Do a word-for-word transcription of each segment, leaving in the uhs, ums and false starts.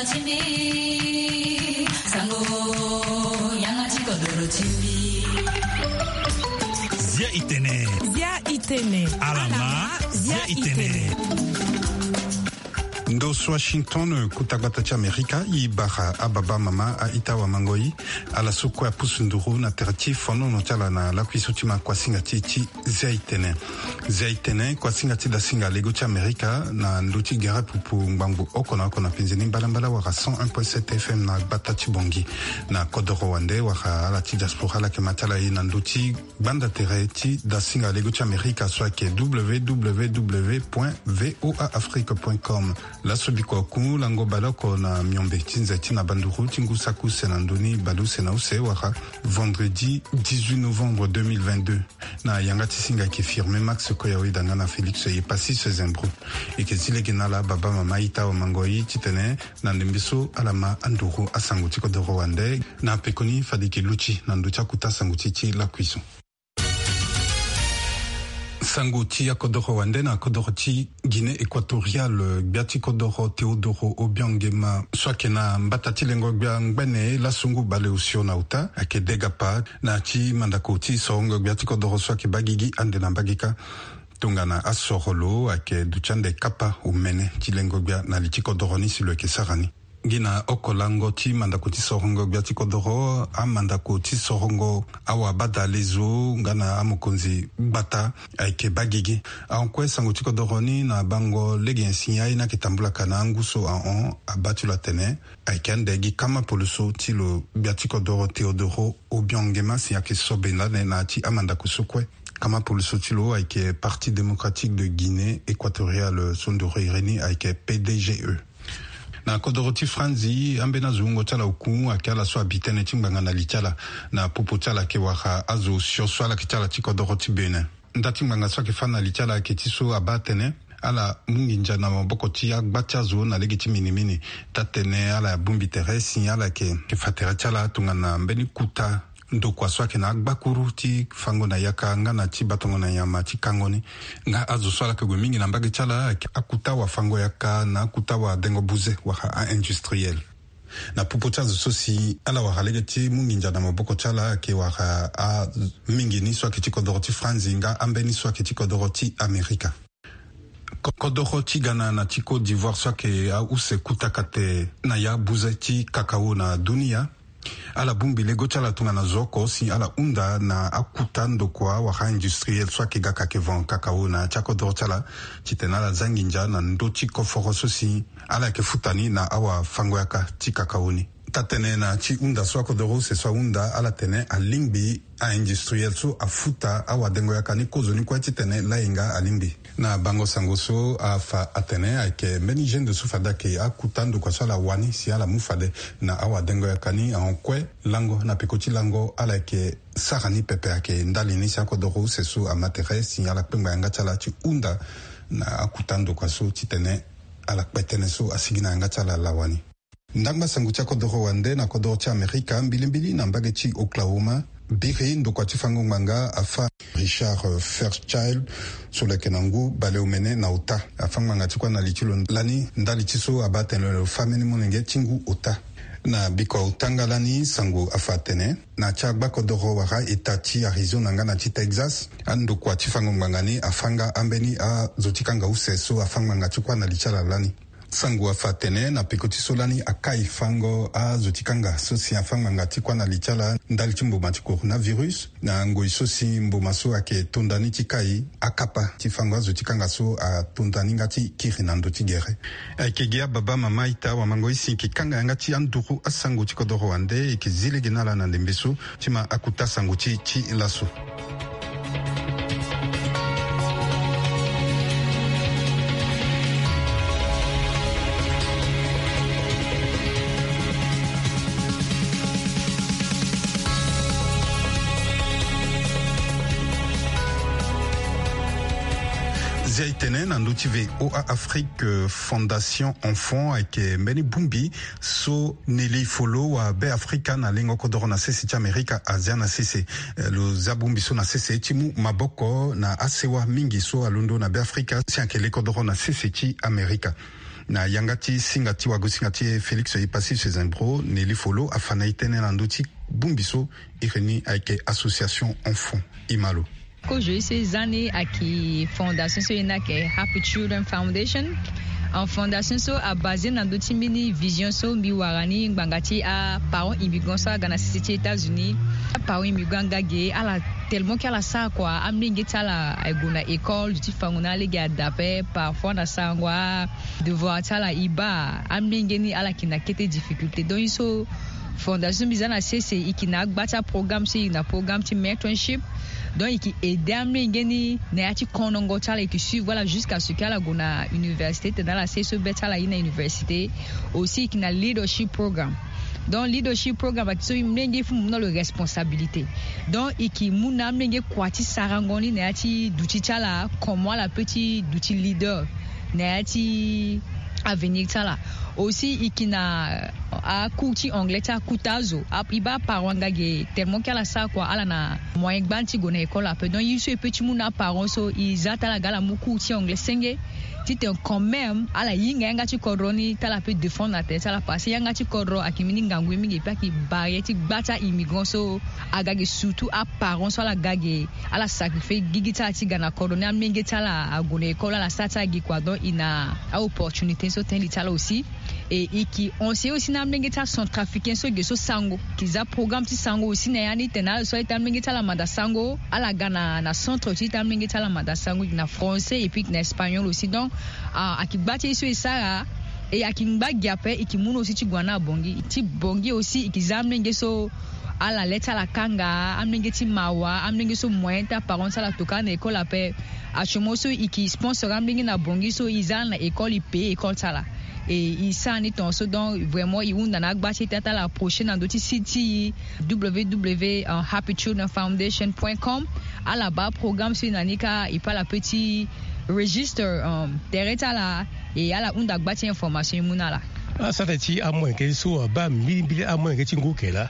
Zia itene. Zia itene. Alama. Zia itene. Ndo so Washington, kuta gbata ti Amerika, i bara ababa mama, a-ita, wamango-i, ala so kue apusu nduru na tere ti fonono ti ala na lakui so ti ma kuasinga ti e ti Zia itene. Zia itene, kuasinga ti dasinga lego ti Amerika na ndö ti gere pupu ngbangbo oko na oko na penze ni mbalambala wala cent un point sept F M na gbata ti Bangui. Na kodoro wande wala ala ti diaspora ala yeke ma ti ala ye na ndö ti gbanda tere ti dasinga lego ti Amerika so ayeke W W W point V O A Afrique point com. Laso bikua ku lango baleoko na miombe ti nze ti na banduru ti ngu saki use na ndö ni baleuse na use wala vendredi dix-huit novembre deux mille vingt-deux. Na yanga ti singa ayeke Firmin Max Koyawe danga na Félix Yepassis Zembro. E yeke zi lege na ala baba mama ita wamango-i titene na ndembe so ala ma anduru asango ti kodoro wande. Na pekoni fade e yeke luti na ndö ti akuta sango ti e ti lakui so. Sango ti akodoro wande na kodoro ti Guinée équatoriale, gbia ti kodoro Teodoro Obiang Nguema so ayeke na mbata ti lengo gbia ngbene lasungu baleosio na ota ayeke degapa na ti mandako ti sorongo gbia ti kodoro so ayeke baa gigi ande na mbage kâ. Tongana asoro lo ayeke duti ande kapa omene ti lengo gbia na li ti kodoro ni si lo yeke sara ni. Gi na oko lango ti mandako ti sorongo gbia ti kodoro, amandako ti sorongo awabadalezo nga na amokonzi gbata ayeke baa gigi. Ahon kue sango ti kodoro ni na bango lege nyen si aye ni ayeke tambula ka na angu so ahon abaa ti lo atene ayeke ande gi kama poloso ti lo gbia ti kodoro Teodoro Obiang Nguema si ayeke so benda ande na ya ti amandako so kue. Kama poloso ti lo ayeke Parti Démocratique de Guinée Équatoriale so ndoro iri ni ayeke P D G E. Na kodoro ti Franzi, ambeni azo wungo ti ala oku ayeke ala so abi tënë ti ngbanga na li ti ala na popo ti ala ayeke wara azo osio so ala yeke ti ala ti kodoro ti Bénin. Nda ti ngbanga so ayeke fâ na li ti ala ayeke ti so abaa atene ala mu nginza na maboko ti agba ti azo na lege ti minimini. Taa-tene ala bongbi tere si ala yeke fa tere ti ala tongana mbeni kuta ndokua so ayeke na agbakuru ti fango na yaka nga na ti batango na nyama ti kango ni. Nga azo so ala yeke gue mingi na mbage ti ala ayeke akuta wafango yaka na akuta wadengo buze wala a-industriel. Na popo ti azo so si ala wara lege ti mu nginza na maboko ti ala ayeke wara a-, mingi ni so ayeke ti kodoro ti Franzi nga ambeni so ayeke ti kodoro ti Amerika. Ko-, kodoro ti Ghana na ti Côte d'Ivoire so ayeke ause kuta kate na ya buze ti kakao na dunia. Ala bongbi lego ti ala tongana zo oko si ala hunda na akuta ndokua wala industriel so ayeke ga ka ayeke van kakao na ya ti akodoro ti ala titene ala za nginza na ndö ti koforo so si ala yeke futa ni na awafango yaka ti kakao ni. Taa-tënë na ti hunda so akodoro use so ahunda ala tene alingbi a-industriel so afuta awadengo yaka ni kozoni kue titene layenga alingbi. Na bango sango so afa atene ayeke mbeni gendre so fade ayeke akuta ndokua so ala wani si ala mu fade na awadengo yaka ni ahon kue lango na peko ti lango ala yeke sara ni pepe ayeke ndali ni si akodoro use so ama tere si ala kpengba yanga ti ala ti hunda na akuta ndokua so titene ala kpe tënë so asigi na yanga ti ala lawa ni. Ndangba sango ti akodoro wande na kodoro ti Amerika, mbilimbili na mbage ti Oklahoma, biri ndokua ti fango ngbanga afâ Richard, euh, Fairchild, so lo yeke na ngu baleomene na ota. Afâ ngbanga ti kua na li ti lo lani ndali ti so abaa tene lo fâ mbeni molenge ti ngu ota. Na bikua ota nga lani sango afa atene na ti agbakodoro wala eta ti Arizona nga na ti Texas, andokua ti fango ngbanga ni afâ nga ambeni azo ti kanga use so afâ ngbanga ti kua na li ti ala lani. Sango afa atene na peko ti so lani akai fango azo ti kanga so si afâ ngbanga ti kua na li ti ala ndali ti mboma ti coronavirus. Na ngoi so si mboma so ayeke tonda ni ti kai akapa ti fango azo ti kanga so atonda ni nga ti kiri na ndö ti gere. Ayeke gi ababa mama ita wamango-i si e yeke kanga yanga ti anduru asango ti kodoro wande, e yeke zi lege na ala na ndembe so ti ma akuta sango ti e ti laso. Zia e tene na ndö ti V O A Afrique, euh, Fondation Enfant ayeke mbeni bongbi so Nelly Folo wa Be Afrika na lengo kodoro na sese ti Amerika azia na sese. Eh, lo zia bongbi so na sese ti mu maboko na asewa mingi so alondo na Be Afrika si ayeke le kodoro na sese ti Amerika. Na yanga ti singa ti wagosinga ti e Félix Epassis Sezembro, Nelly Folo afa na e tënë na ndö ti bongbi so e reni ayeke association Enfant. E ma lo. Kozo ye so e za ni ayeke fondation so e na ayeke Happy Children Foundation. Fondation so abase na ndö ti mbeni vision so mbi wara ni ngbanga ti aparents immigrants so aga na sese ti États-Unis. Aparents immigrants aga ge ala tellement ke ala sara kua, amolenge ti ala aye gue na école, duti fango na alege adape, parfois na sarango adevoir ti ala e baa. Amolenge ni ala yeke na kete difficulté. Donc ye so fondation mbi za na sese e yeke na agba ti aprogramme so e yeke na programme ti mentorship. Donc e yeke aider amolenge ni na ya ti konongo ti ala, e yeke suivre ala jusqu'à ce que ala gue na université, titene ala sara ye so be ti ala aye na université. Aussi e yeke na leadership programme. Donc leadership programme ayeke so e, molenge fo mu na lo responsabilité. Donc e yeke mu na amolenge kua ti sarango ni na ya ti duti ti ala, comment ala peut ti duti leader na ya ti avenir ti ala. Aussi e yeke na acours ti anglais ti akuta azo. A- e baa aparents aga ge tellement ke ala sara kua, ala na moyen gbani ti gue na école ape. Donc ye so e peut ti mu na aparents so, e za ti ala ga ala mu cours ti anglais senge, titene quand même ala hinga yanga ti kodro ni, ti ala peut défendre na tere ti ala, parce que yanga ti kodro ayeke mbeni ngangu ye mingi, e peut ayeke barrière ti gba ti a-immigrant so aga ge, surtout aparents so ala ga ge, ala sacrifier gigi ti ala ti ga na kodro ni, amolenge ti ala ague na école, ala sara ti ala gi kua. Donc e na aopportunité so tënë li ti ala aussi. Et e yeke enseigner aussi na amolenge ti acentrafricain so ge so sango, e yeke za programme ti sango aussi na ya ni, titene ala so a-ita amolenge ti ala manda sango, ala ga na, na centre ti ita amolenge ti ala manda sango, e yeke na français et puis e yeke na espagnol aussi. Donc a- ayeke gba ti ye so e sara. Et ayeke ngba gi ape, e yeke mu na aussi ti gue na abongi. Ti bongi aussi e yeke za amolenge so ala le ti ala kanga, amolenge ti mawa, amolenge so moyen ti aparents ti ala tokua na école ape. Actuellement so e yeke sponsor amolenge na bongi so e za ala na école, e payer école ti ala. Et e sara ni tongaso. Donc vraiment e hunda na agba ti e ti ala approcher na ndö ti site ti e, www happy children foundation point com. Ala baa programme so e na ni kâ, e peut ala peut ti registre, um, tere ti ala. Et ala hunda gba ti information e mu na ala. Asara tene ti amolenge so abaa mbilimbili amolenge ti ngu ke laa?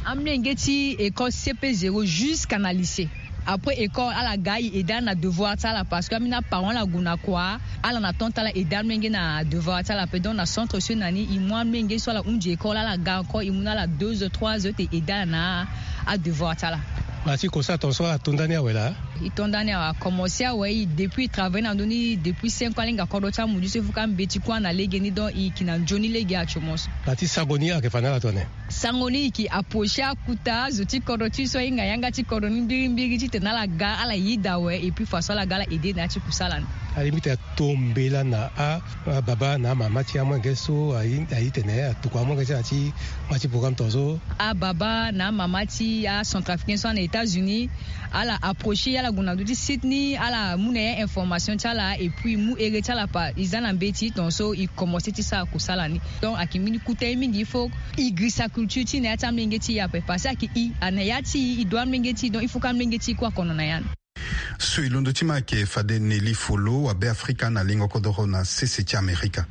Amolenge ti école C P zéro jusqu'à na lycée. Après école ala ga e aider ala na devoir ti ala, parce que ambeni aparents ala gue na kua, ala na temps ti ala aider amolenge na devoir ti ala ape. Donc na centre so e na ni e mu amolenge so ala hunzi école, ala ga encore e mu na ala deux heures trois heures ti aider ala na adevoir ti ala. Mara ti e kosara tongaso ala to ndani awe laa? E to ndani awe, a commencer awe. E depuis e travailler na ndö ni depuis cinq ans, alenga kodro ti amudu so e fo ka mbeti kue na lege ni. Donc e yeke na nzoni lege actuellement so. Mara ti sango ni ayeke fa na ala tongana nyen? Sango ni e yeke approcher akuta zo ti kodro ti e so ahinga yanga ti kodro ni mbirimbiri titene ala ga ala yeda awe, et puis façon ala ga ala aider na ya ti kusala ni. Alingbi titene ato mbela na a- ababa na amama ti amolenge so aye- aye tene atokua amolenge ti ala ti ma ti programme tongaso? Ababa na amama ti acentrafricain so ana États-Unis, ala approcher ala gue na ndö ti site ni, ala mu na ya information ti ala, et puis e mu ere ti ala, pa e za na mbeti tongaso e commencer ti sara kusala ni. Donc ayeke mbeni kota ye mingi, il faut e girisa culture ti e na ya ti amolenge ti e ape, parce que ayeke e, a na ya ti e e doit amolenge ti e, donc il faut que amolenge ti e kue akono na ya ni. So e londo ti ma ayeke fade Nelly Folo, wabe Afrika na lengo kodoro na sese ti Amerika.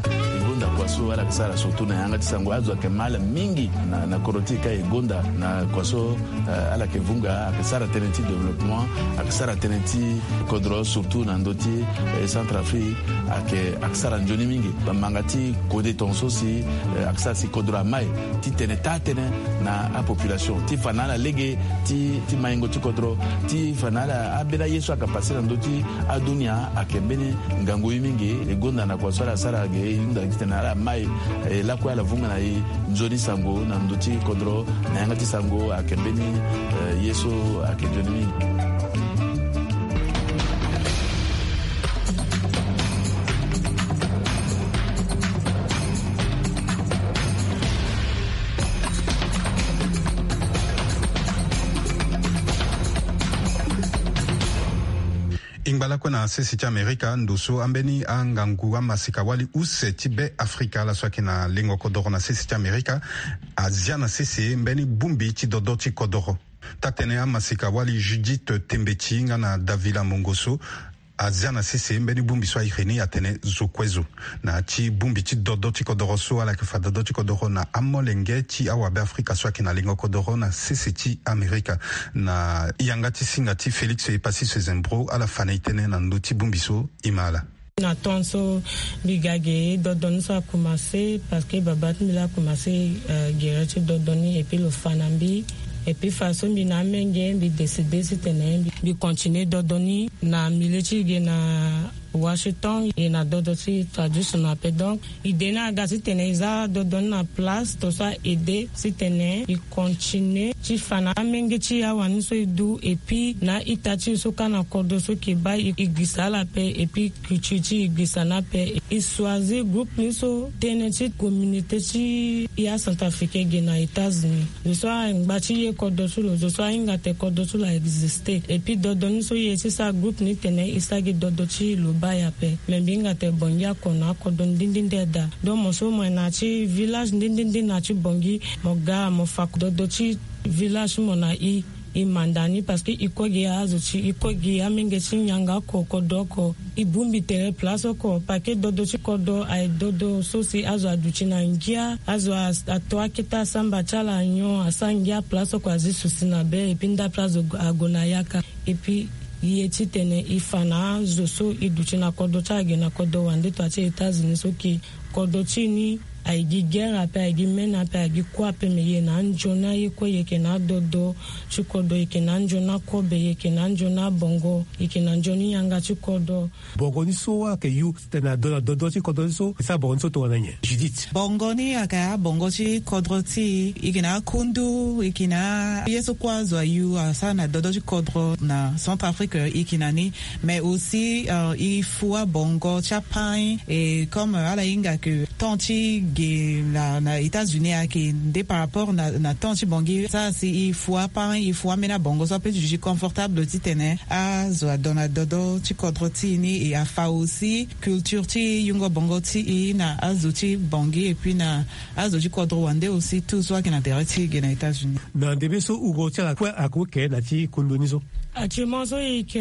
E gonda kua so ala yeke sara surtout na yanga ti sango. Azo ayeke ma ala mingi na, na kodro ti e ka e gonda na kua so, eh, ala yeke vunga, ayeke sara tënë ti développement, ayeke sara tënë ti kodro surtout na ndö ti, eh, Centrafrique, ayeke, ayeke sara nzoni mingi. Bamanga ti kode tongaso si, eh, ayeke sara si kodro amai titene taa tënë na apopulation ti fa na ala lege ti, ti maingo ti kodro, ti fa na ala ambeni aye so ayeke passe na ndö ti adunia. Ayeke mbeni ngangu ye mingi. E gonda na kua so ala sara ge, e hunda titene ala mai, eh, lakue ala vunga na e nzoni sango na ndö ti kodro na yanga ti sango. Ayeke mbeni, eh, ye so ayeke nzoni mingi. E ngba lakue na sese ti Amerika, ndo so ambeni angangu amasika wali use ti Be Afrika, ala so ayeke na lengo kodoro na sese ti Amerika, azia na sese mbeni bongbi ti dodo ti kodoro. Taa-tënë amasika wali Judith Tembeti nga na Davila Mongoso azia na sese mbeni bongbi so a iri ni atene zo kue zo. Na ya ti bongbi ti dodo ti kodoro so, ala yeke fa dodo ti kodoro na amolenge ti awabe Afrika so ayeke na lengo kodoro na sese ti Amerika. Na yanga ti singa ti Félix Epassis Sezembro, ala fa na e tënë na ndö ti bongbi so. E ma ala. Na temps so mbi ga ge, dodoni so akomanse parce que baba ti mbi laa akomanse gere ti dodoni epui lo fa na mbi. Epui fa so mbi na amenge mbi décide titene mbi continue dodoni na milieu ti ge na Washington, e na dodo ti tradition ape. Donc ide ni aga titene e za dodoni na place to so a aide titene e continue ti fa na amenge ti e awani so e du epui na ita ti e so ka na kodro so ke baa e gbisa ala ape epui culture ti e gbisa ni ape. E choisir groupe ni so tënë ti communauté ti e acentrafricain ge na États-Unis. Zo so angba ti ye kodro ti lo, zo so ahinga te kodro ti lo a existe. Epui dodo ni so e ye ti sara groupe ni tene e sara gi dodo ti lo baa e ape. Me mbi hinga te bongi ako na akodro ndindindi daa. Donc mo so mo yeke na ya ti village ndindindi na ya ti bongi, mo ga mo fa dodo ti village ti mo na e, e manda ni parce que e kue gi azo ti e, e kue gi amenge ti yanga oko, kodro oko. E bongbi tere place oko parce que dodo ti kodro aye dodo so si azo aduti na ngia, azo ato akete asamba ti ala nyon, asara ngia place oko azi susi na be epui ndape azo ague na yaka. Epui e ye titene e fa na azo so e duti na kodro ti ala ge na kodro wande to ya ti États-Unis so ke kodro ti e ni aye gi guerre ape, aye gi mene ape, aye gi kue ape, me e yeke na anzoni aye kue, e yeke na adodo ti kodro, e yeke na anzoni akobe, e yeke na anzoni abongo, e yeke na nzoni yanga ti kodro. Bongo ni so ayeke yu titene ado na dodo ti kodro ni so, e sara bongo ni so tongana nyen, Judith? Bongo ni ayeke abongo ti kodro ti e, e yeke na akundu, e yeke na ye so kue azo ayu asara na dodo ti kodro na Centrafrique, e yeke na ni. Mais aussi e fu abongo ti apain. Et comme ala hinga ke temps ti ge na États-Unis ayeke nde par rapport na temps ti bongi, sara si e fu apain, e fu ambeni abongo so ape ti duti confortable titene azo ado na dodo ti kodro ti e ni. Et afa aussi culture ti yungo bongo ti e na azo ti bongi epui na azo ti kodro wande aussi, tout so ayeke na tere ti e ge na États-Unis. Na ndembe so wungo ti ala kue ayeke oke na ti kundu ni so. Actuellement so e yeke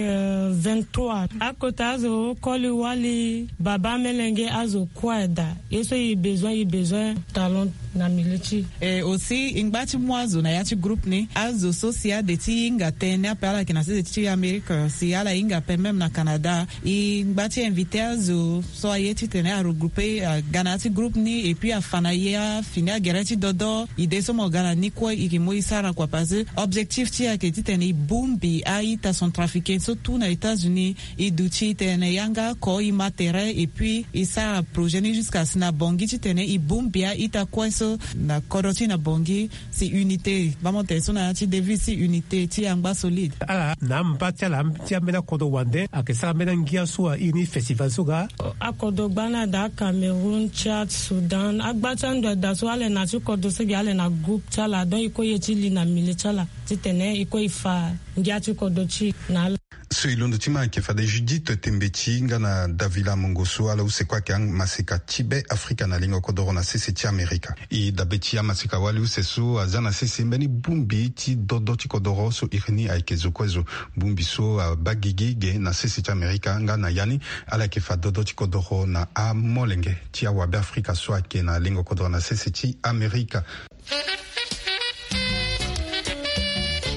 vingt-trois. Akota azo koli wali baba amelenge azo kue daa. Ye so e besoin, e besoin talent na milieu ti e. Et aussi e ngba ti mu azo na ya ti groupe ni. Azo so si ade ti hinga tënë ape, ala yeke na sese ti Amérique, si ala hinga ape même na Canada, e ngba ti invité azo so aye titene aregroupe aga na ya ti groupe ni epui afa na e afini agere ti dodo. Ide so mo ga na ni kue e yeke mu e sara kua parce que objectif ti e ayeke titene e bongbi a-ita centrafricain so tout na États-Unis. E duti tene yanga oko, e ma tere epui e sara projet ni jusqu'à si na bongi titene e bongbi a-ita kue so na kodro ti e na bongi. Si unité, baa mo tene so na ya ti devise ti unité ti angba solide. Ala na amba ti ala ti ambeni akodro wande ayeke sara ambeni angia so a iri ni festival so ga. Akodro gba ni ada, Cameroun, Tchad, Soudan, agba ti ando ada so ala yeke na ya ti kodro so gi ala yeke na groupe ti ala, donc e kue e ye ti li na milieu ti ala titene e kue e fa ngia ti kodro ti e na ala. So e londo ti ma ayeke fade Judith Tembeti nga na Davila Mongo so ala use kue ayeke amaseka ti Be Afrika na lingo kodoro na sese ti Amerika. E dabe ti amaseka wali use so aza na sese mbeni bongbi ti dodo ti kodoro so iri ni ayeke zo kue zo. Bongbi so abaa gigi ge na sese ti Amerika nga na ya ni ala yeke fa dodo ti kodoro na amolenge ti awabe Afrika so ayeke na lingo kodoro na sese ti Amerika.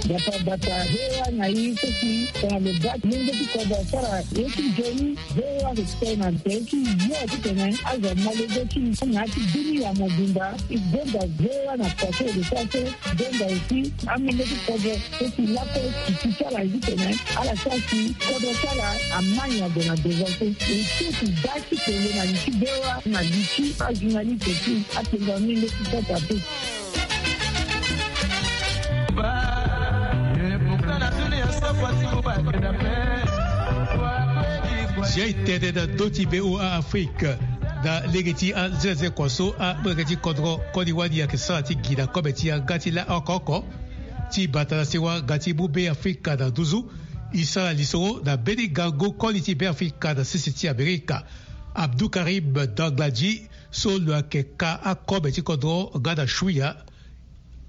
Bata bata V O A na i so si tongana lo baa ti lenge ti kodro asara ye ti nzoni, V O A ayeke kpe na tere ti yo titene azo amolenge ti i na ya ti dunia mobimba. I gbonga V O A na kua so e lo sara so. Gbonga aussi amolenge ti kodro so si lakue titi ti ala ye titene ala sara si kodro ti ala amai ague na devant so. E so si baa ti kele na li ti V O A na li ti ajournaliste ti atengo amolenge ti kota pe. Siai tënë na ndö ti V O A Afrique na lege ti anzenanze kua so amolenge ti kodro koli wani ayeke sara ti gi na kobe ti yanga ti la oko oko ti bata na sewa nga ti mu Be Afrika na nduzu. E sara lisoro na mbeni gango koli ti Be Afrika na sese ti Amerika, Abdou Karim Dangladi, so lo yeke ka akobe ti kodro nga na Shuya.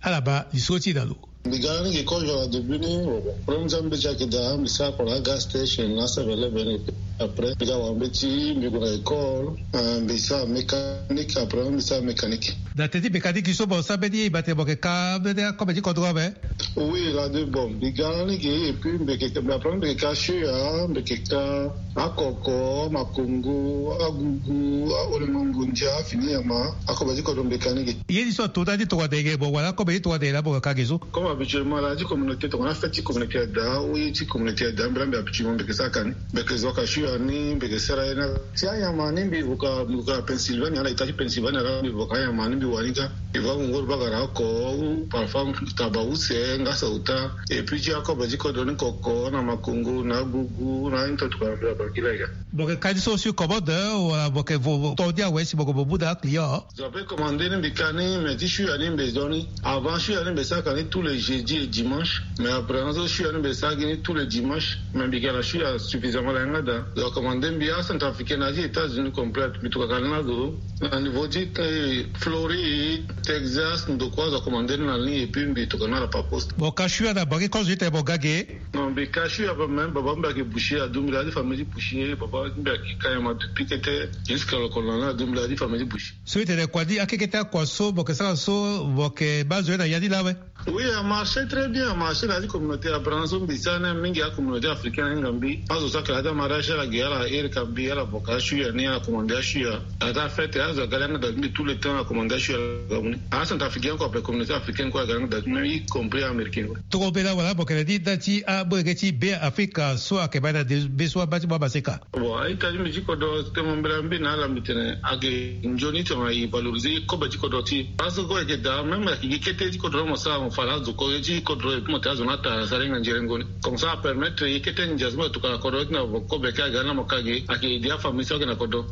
Ala baa lisoro ti e na lo. Mbi ga lani gi kozo na début ni, problème ti ambeti ayeke daa, mbi sara oko na agas station na seven eleven ape. Après mbi ga wara mbeti, mbi gue na école. Mbi sara mécanique, après mbi sara mécanique. Na teti mécanique so mo sara mbeni ye, e baa tene mo yeke ka mbeni akobe ti kodro ape? Oui, la de bon, mbi ga lani ge. Et puis mbi yeke, après mbi yeke ka shuya, mbi yeke ka akoko, amakongo, agugu, aolengo ngondia, fini nyama, akobe ti kodro mbi yeke ka ni ge. Ye ni so ato ndani ti tongana eke mo wara akobe ti tongana eke laa mo yeke ka ge so? Comme habituellement la ti communauté, tongana fête ti communauté ada, ou ye ti communauté ada, mbi laa mbi habituellement mbi yeke sara ka ni. Mbi yeke zo ka shuya ni, mbi yeke sara ye na ti anyama ni. Mbi vo ka, mbi vo ka Pennsylvanie, ala ita ti Pennsylvanie, ala mbi vo ka anyama ni mbi wara ni kâ. Mbi vo angongoro bagara oko, ou parfois taba use, ngasa uta. Et puis ti akobe ti kodro ni koko, na makongo, na agugu, na aye ni tongana mbi abakila ye ga. Mo yeke ka ni so sur commande, wala mo yeke vo, vo to ni awe si mo yeke mo mu na aclient? Zo ape commandé ni mbi ka ni, mais ti shuya ni mbi zo ni. Avant shuya ni mbi sara ka ni tous les jeudis et dimanches. Mais après na so shuya ni mbi sara gi ni tous les dimanches. Mais mbi ga na shuya suffisamment na yanga daa. Zo acommandé mbi, acentrafricain na ti États-Unis complète, mbi tokua ka ni na zo. Na niveau ti, eh, Floride, Texas, ndokua zo acommandé ni na ni, et puis mbi tokua ni na la par poste. Mo ka shuya na bangi kozo ti tene mo ga ge? Non, mbi ka shuya ape, même baba mbi ayeke boucher, aduti mbi na ya ti famille ti boucher. Baba mbi ayeke ka nyama depuis kete jusqu'à lokolo na ni, aduti mbi na ya ti famille ti boucher. So e tene kua ni, akekete akua so mo yeke sara so, mo yeke baa zo ye na ya ni laa awe? Oui, a marché très bien, a marché na ya ti communauté. Abranso mbi sara ni mingi, acommunauté africaine ahinga mbi. Azo so ayeke na ya ti amariage ala gi, ala iri ka mbi, ala vo ka ashuya ni, ala commandé ashuya. Na ya ti afête azo aga langa daa ti mbi, tout le temps ala commandé ashuya, ala ga mu ni. Acentrafricain kue ape, communauté africaine kue aga langa daa ti mbi, y compris américain kue. Tongana mbela wala mo yeke na ni nda ti amolenge ti Be Afrika so ayeke baa na de be so abaa ti mo amaseka? Bon, a-ita ti mbi ti kodro, tene mo mbela mbi na ala, mbi tene ayeke nzoni tongana e valoriser kobe ti kodro ti e. Parce que ayeke daa, même ayeke gi kete ti kodro ni mo sara, mo fa na azo ko ye ti kodro, et puis mo tene azo ni atara asara hinga nzerengo ni. Comme ça apermettre ye kete ndia so mo yeke tokua na kodro ni titene mo vo kobe kâ aga ni na mo ka ge, ayeke aider afamille so ayeke na kodro.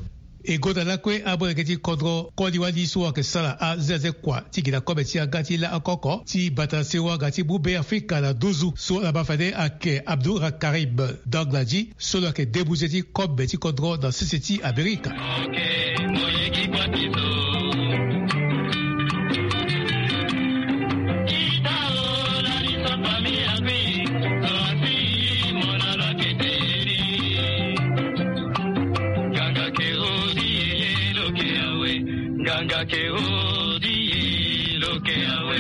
E gonda lakue amolenge ti kodro koli wali so ayeke sara azeaze kua ti gi na kobe ti yanga ti laa oko oko ti bata sewa ga ti mu Be Afrika na nduzu so ala ma fade ayeke Abdoura Karim Dangladi, so lo yeke debuze ti kobe ti kodro na sese ti Amerika. Nganga ke odi ye lo ke awe. Nganga ke odi ye lo ke awe.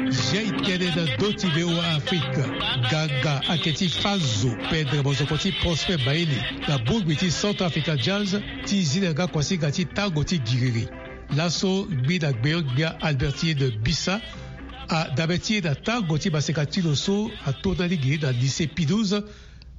Zia e tene na ndö ti V O A Afrique. Nganga ayeke ti fâ zo, pendre mozoko ti Prosper Maele, na bongbi ti Centrafrican Jazz, ti zi na yanga kuasinga ti tango ti giriri. Laso ngbi na gbeon-gbia Albertine Bisa, adabe ti e na tango ti maseka ti lo so ato ndani gi na lycée Pie douze,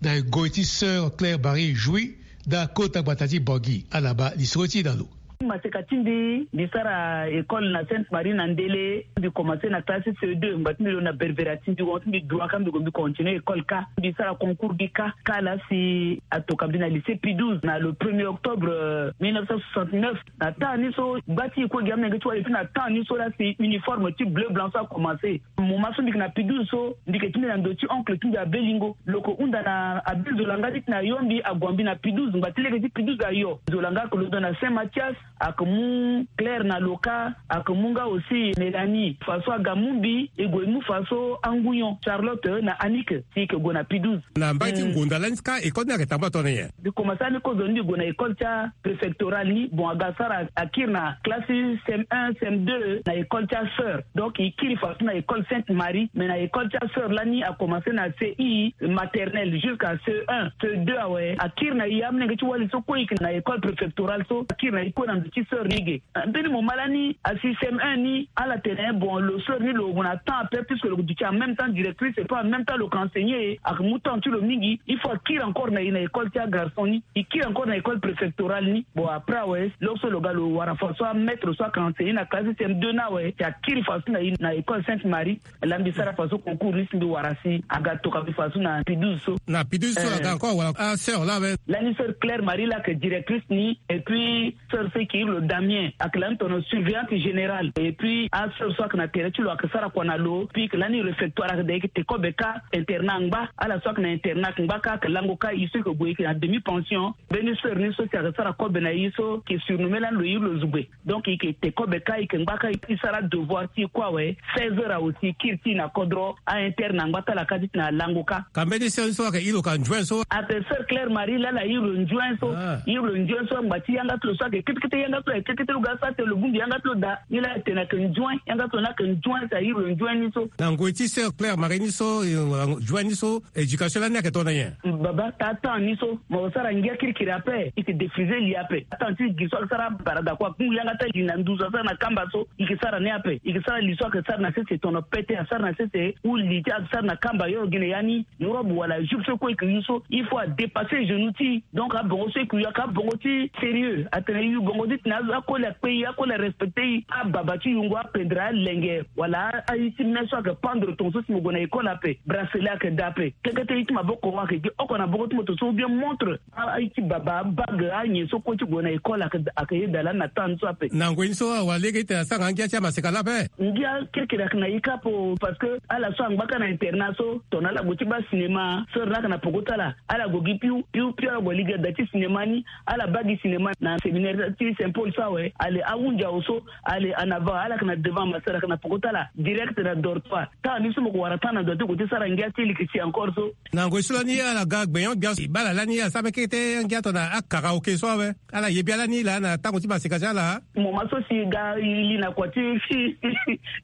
na ngoi ti sœur Claire Marie Jouy, na kota gbata ti Bangui. Ala baa lisoro ti e na lo. Maseka ti mbi, mbi sara école na Sainte Marie na Ndele. Mbi commencé na classe C deux, ngba ti mbi lo na Berbera ti mbi, wan ti mbi droit kâ, mbi gue mbi continuer école kâ. Mbi sara concours gi kâ, kâ la si atoka mbi na lycée Pie douze na le premier octobre, euh, mille neuf cent soixante-neuf. Na temps ni so, gba ti e kue gi amolenge ti wali, et puis na temps ni so la si uniforme ti bleu blanc so a commencé. Moment so mbi yeke na Pie douze so, mbi yeke ti mbi na ndo ti oncle ti mbi Abelingo. Lo yeke hunda na Abel Zolanga ti tene ayo mbi, ague mbi na Pie douze. Ngba ti lege ti Pie douze ayo, Zolanga ayeke londo na Saint Mathias, ayeke mu Claire na Loka, ayeke mu nga aussi Mélanie. Faso aga mu mbi, e gue e mu faso angu nyon, Charlotte na Annick, si e yeke gue na Pie douze. Na mbage ti, hmm, ngonda lani kâ, école ni ayeke tambula tongana nyen? Mbi commencé ani kozo ni, mbi gue na école ti apréfectorale ni. Bon, aga sara, akiri na classe C M un, C M deux na école ti asœur. Donc e kiri faso na école Sainte Marie, mais na école ti asœur lani a commencé na C I maternelle jusqu'à C E un, C E deux awe. Akiri na e, amolenge ti wali so kue e yeke na école préfectorale so, akiri na e kue na ti sœur ni ge. Mbeni mo ma lani asi C M un ni ala tene bon lo sœur ni lo gue na temps ape puisque lo duti en même temps directrice et puis en même temps lo ke enseigner, ake mu temps ti lo mingi. Il faut akiri encore na e na école ti agarçon ni, e kiri encore na école préfectorale ni. Bon après awe lo so lo ga lo wara façon amaître so ake enseigner na classe C M deux ni awe si akiri façon na e na école Sainte Marie. Laa mbi sara façon concours ni si mbi wara si aga toka mbi façon na Pidouze so. Na Pidouze so aga encore wala asœur laa awe. Lani sœur Claire Marie laa ake directrice ni et puis sœur so e ke iri lo Damien ake lani tono surveillante générale et puis asœur so ake na tere ti lo ake sara kua na lo puis ake lani réfectoire ake da e ke te kobe kâ internat angba. Ala so ake na internat ake ngba kâ ake lango kâ e so e ke gue e ke na demi pension. Mbeni sœur ni so si ake sara kobe na e so ke surnommé lani lo iri lo Zugbe. Donc e ke te kobe kâ e ke ngba kâ e sara devoir ti e kue awe. Seize heures awe si e kiri ti e na kodro a interne angba ti ala kâ ti tena alango kâ. Ka mbeni sœur ni so ake iri lo ka nzuen so. Ake sœur Claire Marie laa ala iri lo nzuen so. Iri lo nzuen so angba ti yanga ti lo so ake ketekete yanga ti lo aye ketekete lo ga sara tene lo bongbi yanga ti lo daa. Ni laa atene ake nzuen yanga ti lo ni ake nzuen si a iri lo nzuen ni so. Na ngoi ti sœur Claire Marie ni so nzuen ni so éducation lani ake tongana nyen? Baba taa temps ni so mo sara ngia kirikiri ape e ke défriser li ape. Temps ti gi so ake sara barada kue akungu yanga ti ali na nduzu asara na kamba so e ke sara ni ape. E ke sara li so ake sara na sese tono pete asara na sese ou li ti ake sara na kamba yo gi na ya ni. Robe wala jupe so kue e ke yu so il faut adépasser genou ti e. Donc abongo so e ke yu ake abongo ti sérieux atene e yu bongo ti tena akoli akpe e akoli arespecter e. Ababa ti yungo apendre alenge wala aye ti me so ake pendre tonga so si mo gue na école ape bracelet ake daa ape. Kekete ye ti maboko wa ake gi oko na boko ti moto so ou bien montre. Aye ti baba abague anyen so kue ti gue na école ake yeda lani na temps ni so ape. Na ngoi ni so awa lege ti tena asara nga ngia ti amaseka laa ape. Ngia kirikiri ake na e kâ ape. Parce que ala so angba kâ na internat so tongana ala gue ti baa cinéma sœur ni ake na poko ti ala. Ala gue gi piu piu piu ala gue lege da ti cinéma ni. Ala baa gi cinéma na séminaire ti Saint Paul so awe. Ale ahunzi awe so ale en avant ala ake na devant ma sœur ake na poko ti ala direct na dortoir. Temps ni so mo ko wara temps na ndo ti gue ti sara ngia ti leke si encore so. Na ngoi so lani ala ga gbenyo gbia si baa ala lani ala sara mbekete ngia tongana akaraoke so awe. Ala ye bia lani laa na tango ti maseka ti ala. Moma so si e ga e li na kua ti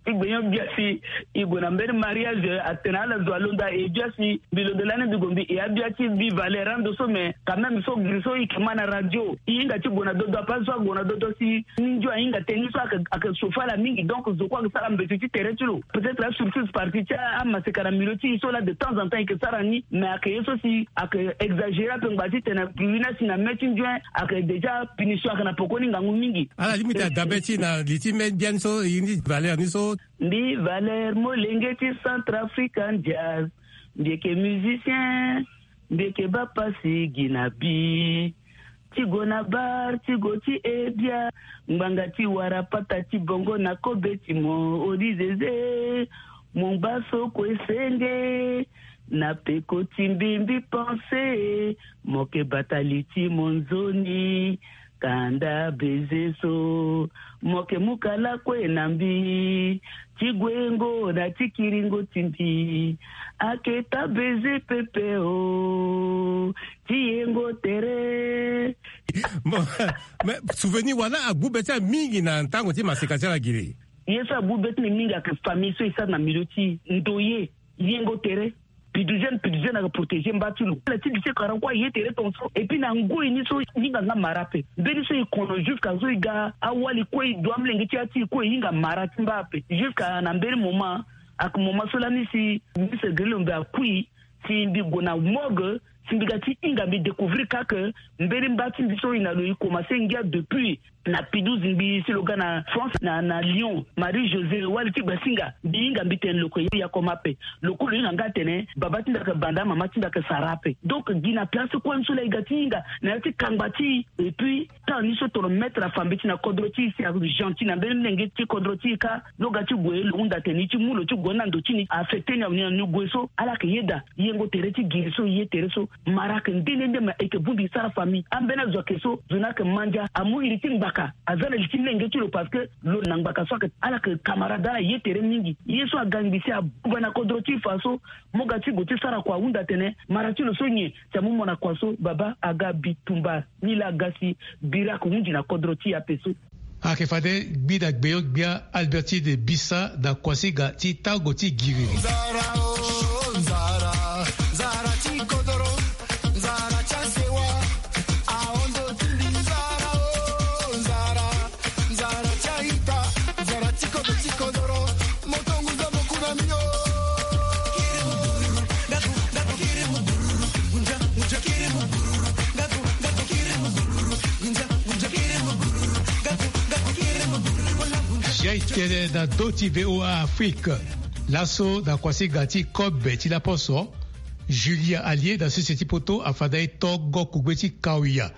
ti gbenyo gbia si e gue na mbeni mariage atene ala zo alondo aye bia si mbi londo lani mbi gue mbi e abia ti mbi valeur ando so mais quand même so giri so e ke ma na radio e hinga ti gue na dodo ape azo ague na dodo si ni ndio ahinga tënë ni so ake ake chauffer ala mingi donc zo kue ake sara mbeti ti tere ti lo. Peut-être asurtout partie ti amaseka na milieu ti e so laa de temps en temps e ke sara ni mais ake ye so si ake exagérer ape ngba ti tene pui ni asi na me ti nzuen ake déjà punition ake na poko ni ngangu mingi. Ala limite adabe ti e na li ti me biani so e ni valeur ni so. Mbi valeur molenge ti Centrafrican Jazz. Mbi yeke musicien. Mbi yeke baa pasi gi na bi ti gue na bar ti gue ti e bia. Ngbanga ti wara pata ti bongo na kobe ti mo odi zeze. Mo ngba so kue senge na peko ti mbi mbi pense. Mo yeke bata li ti mo nzoni. Kanda beze so mo yeke mu kala kue na mbi. Ti guengo na ti kiringo ti mbi. Ayeke taa beze pepe o. Ti yengo tere. Bon, mais souvenir wala agbu be ti ala mingi na tango ti maseka ti ala giri. Ye so agbu be ti mbi mingi ayeke famille so e sara na milieu ti ndoye. Yengo tere. Pidouze pidouze ayeke protéger mba ti lo ala ti lycée karan kue aye tere tongaso et puis na ngoi ni so e hinga nga mara ape. Mbeni so e kono jusqu'à so e ga awali kue e du amolenge ti ya ti e kue e hinga mara ti mba ape jusqu'à na mbeni moment. Ayeke moment so lani si mbi sere gere lo mbi akui si mbi gue na morgue si mbi ga ti hinga mbi découvrir kâ ke mbeni mba ti mbi so e na lo e commencer ngia depuis na pidouze ngbii si lo ga na France na na Lyon. Marie José wali ti gbasinga mbi hinga mbi tene lo yeke ya koma ape. Lo kue lo hinga nga atene baba ti mbi ayeke banda mama ti mbi ayeke sara ape. Donc gi na place kue ni so laa e ga ti hinga na ya ti kangba ti e. Et puis temps ni so tongana maître afa mbeti na kodro ti e si agentil na mbeni lenge ti kodro ti e kâ. Lo ga ti gue lo hunda atene e ti mu lo ti gue ni na ndo ti ni affecter ni awe ni na ni gue so ala yeke yeda. Yengo tere ti giri so e ye tere so. Mara ayeke nde nde nde ma e yeke bongbi e sara famille ambeni azo ayeke so zo ni ayeke mandia amu iri ti ngbaka aza na li ti lenge ti lo parce que lo na ngbaka so ayeke ala yeke camarade ala ye tere mingi. Ye so aga ngbi si abuba na kodro ti e fa so. Mo ga ti gue ti sara kua ahunda atene mara ti lo so nyen si amu mo na kua so baba aga bitumba. Ni laa aga si bira ayeke hunzi na kodro ti e ape so. Ayeke fade gbida gbeyo gbia Albertine Bisa na kuasinga ti tango ti giri. Nzara o nzara, nzara ti kodoro, nzara ti asewa. Ahondo ti mbi nzara o nzara. Tene na do ti VOA Afrique, laso na kuasi ga ti kobe ti laposo, Julia Alie na sese ti poto afanda e tongo kugbe ti kawia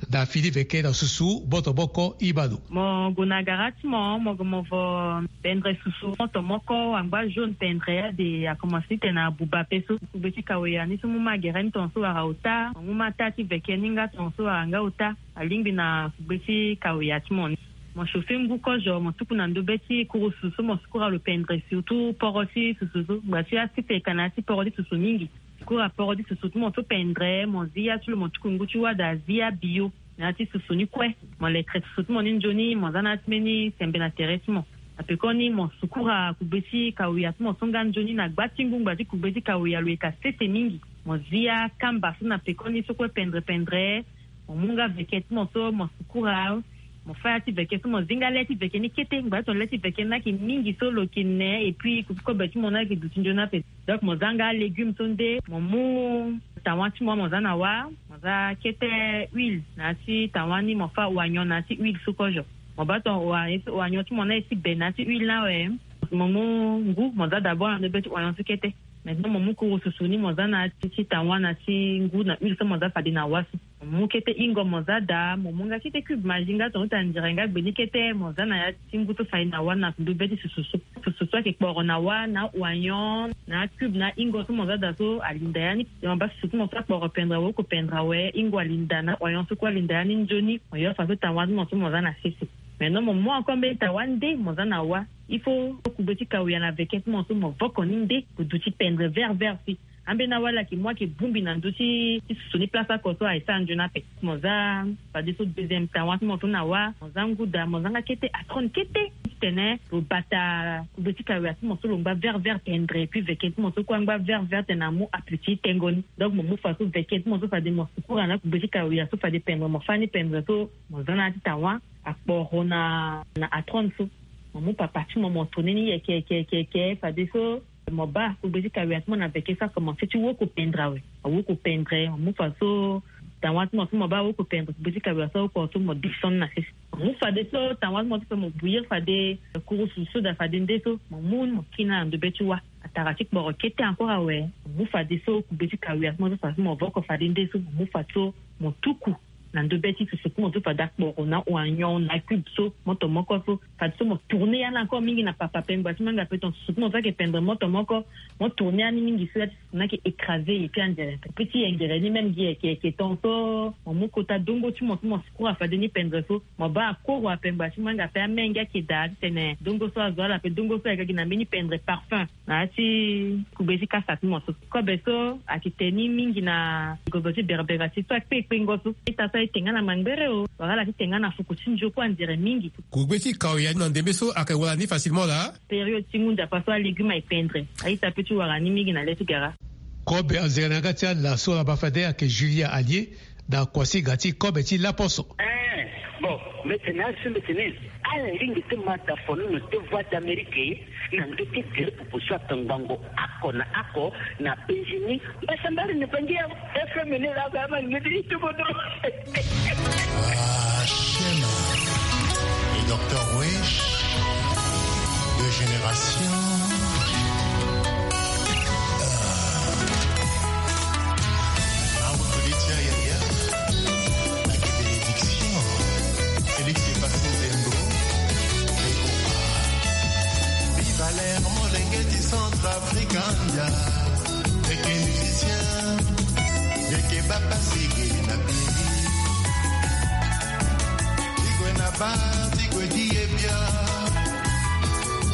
na fini veke na susu moto moko. Ibano. Mo gue na gara ti mo, mo gue mo vo pendre susu moto moko angba jaune pendre ade, akomanse titene abuba pe so. Kugbe ti kawia ni so mu ma gere ni tongaso wara ota, mo mu ma taa ti veke ni nga tongaso wara nga ota. Alingbi na kugbe ti kawia ti mo ni. Mo chauffer ngu kozo, mo tuku na ndobe ti kurusu so mo sukura lo pendre surtout poro ti susu so. Ngba ti asiteka na ya ti poro ti susu mingi. Sukura poro ti susu ti mo so pendre, mo zi ya ti lo, mo tuku ngu ti wada zi ya bio na ya ti susu ni kue. Mo lekre susu ti mo ni nzoni, mo za na ya ti mbeni sembe na tere ti mo. Na pekoni mo sukura kugbe ti kawia ti mo so nga nzoni na gba ti ngu. Ngba ti kugbe ti kawia lo yeka sese mingi. Mo zi ya kamba so na pekoni so kue pendre pendre. Mo mu nga veke ti mo so mo sukura. Mo fa ya ti veke so mo zi nga le ti veke ni kete. Ngba ti tongana le ti veke ni ayeke mingi so lo yeke ne, et puis kobe ti mo ni ayeke duti nzoni ape. Donc mo za nga légume so nde, mo mu tawa ti mo, mo za na wa, mo za kete huile na ya ti tawa ni, mo fa oignon na ya ti huile so kozo. Mo baa tongana oignon ti mo ni aye ti be na ya ti huile ni awe, mo mu ngu, mo za d'abord na ndobe ti oignon so kete. Maintenant mo mu kurusu ni, mo za na ya ti tawa na ya ti ngu na huile so mo za fade na wa so. Mo mu kete hingo mo za daa, mo mu nga kete cube Maggi nga tongana ota ndire nga gbe ni kete, mo za na ya ti ngu so fade na wa na ndobe ti susu so. Susu so ayeke kporo na wa na oignon na cube na hingo so mo za daa so alinda ya ni. Mo baa susu ti mo so akporo pendre awe, oko pendre awe, hingo alinda na oignon so kue alinda ya ni nzoni. Mo yo faso tawa ti mo so mo za na sese. Maintenant mo mu encore mbeni tawa nde mo za na wa. Il faut kugbe ti kawia na veke ti mo so mo voko ni nde, gue duti pendre vert vert si. Ambeni awa ala yeke mu ayeke bongbi na ndö ti susu ni place oko so aye sara nzoni ape. Mo za fadeso deuxième tawa ti mo so na wa, mo za ngu daa, mo za nga kete atrone kete. Titene lo bata kugbe ti kawia ti mo so lo ngba vert vert pendre, et puis veke ti mo so kue angba vert vert titene amu appétit tengo ni. Donc mo mu faso veke ti mo so fade mo sukura na kugbe ti kawia so fade pendre, mo fa ni pendre so, mo za na ya ti tawa akporo na na atrone so. Mo mu papa ti mo, mo tourner ni yeke yeke yeke yeke fadeso mo baa kugbe ti kawia ti mo na veke so akomanse ti woko pendre awe. Awoko pendre, mo mu faso tawa ti mo so mo baa awoko pendre, kugbe ti kawia so awoko so mo descendre na sese. Mo mu fadeso tawa ti mo so fade mo bouillir fade kurusu so daa fade nde so, mo mu ni mo kiri na ndobe ti wa. Atara ti kporo kete encore awe. Mo mu fadeso kugbe ti kawia ti mo so fade so mo voko fade nde so, mo mu fadeso mo tuku na ndobe ti susu ti mo so fade akporo na oignon na cube so moto moko so. Fadeso mo tourner ya ni encore mingi na papa pengba ti mo nga pe ton susu ti mo so ayeke pendre moto moko. Mo tourner ya ni mingi so ya ti susu ni ayeke écraser ye ti anzere pe ti yengere ni même gi yeke yeke ton so. Mo mu kota dongo ti mo so mo sukura fade ni pendre so. Mo baa akoro apengba ti mo nga pe amenge ayeke daa titene dongo so azo ala pe dongo so ayeke gi na mbeni pendre parfum. Na ya ti kugbe ti kasa ti mo so. Kobe so ayeke te ni mingi na gozo ti berbera ti so akpe kpengo so. Ita so aye te nga na mangbere o, wala ala ti te nga na fuku ti nzoku anzere mingi. Kugbe ti kawia na ndembe so ayeke wara ni facilement laa. Période ti ngu nzapa so alégume aye pendre, a-ita pe ti wara ni mingi na le ti gara. Kobe anzere na yanga ti ala so ala baa fade ayeke Julia Alie na kuasinga ti kobe ti laposo. Eh, bon, mbi tene asi mbi tene ala lingbi ti ma da fono na te Voix d'Amérique na ndö ti gere pupu so atongbango oko na oko na Benjini. Mbasambari ni bangi ya F M ni la ba ma ngedi ti bodo. Ah, Shema. Le docteur Wesh, deux générations. Ah. Mamu Felicia Yaya, la bénédiction. Félix Passé Zembo, Viva l'air, molenge ti Centrafrique, ndia. Ndeke musicien, ndeke bapasiki na bini. Ti gue na bar, ti gue di ye bia.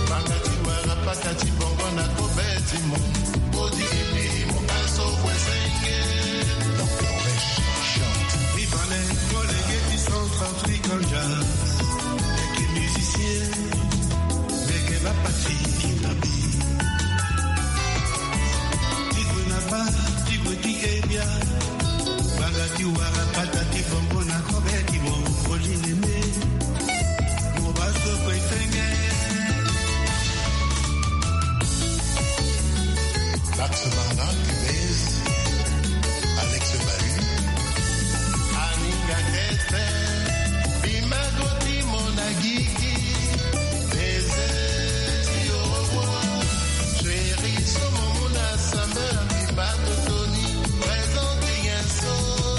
Banga ti wara paka ti bongo na kobe ti mo. Odi ebi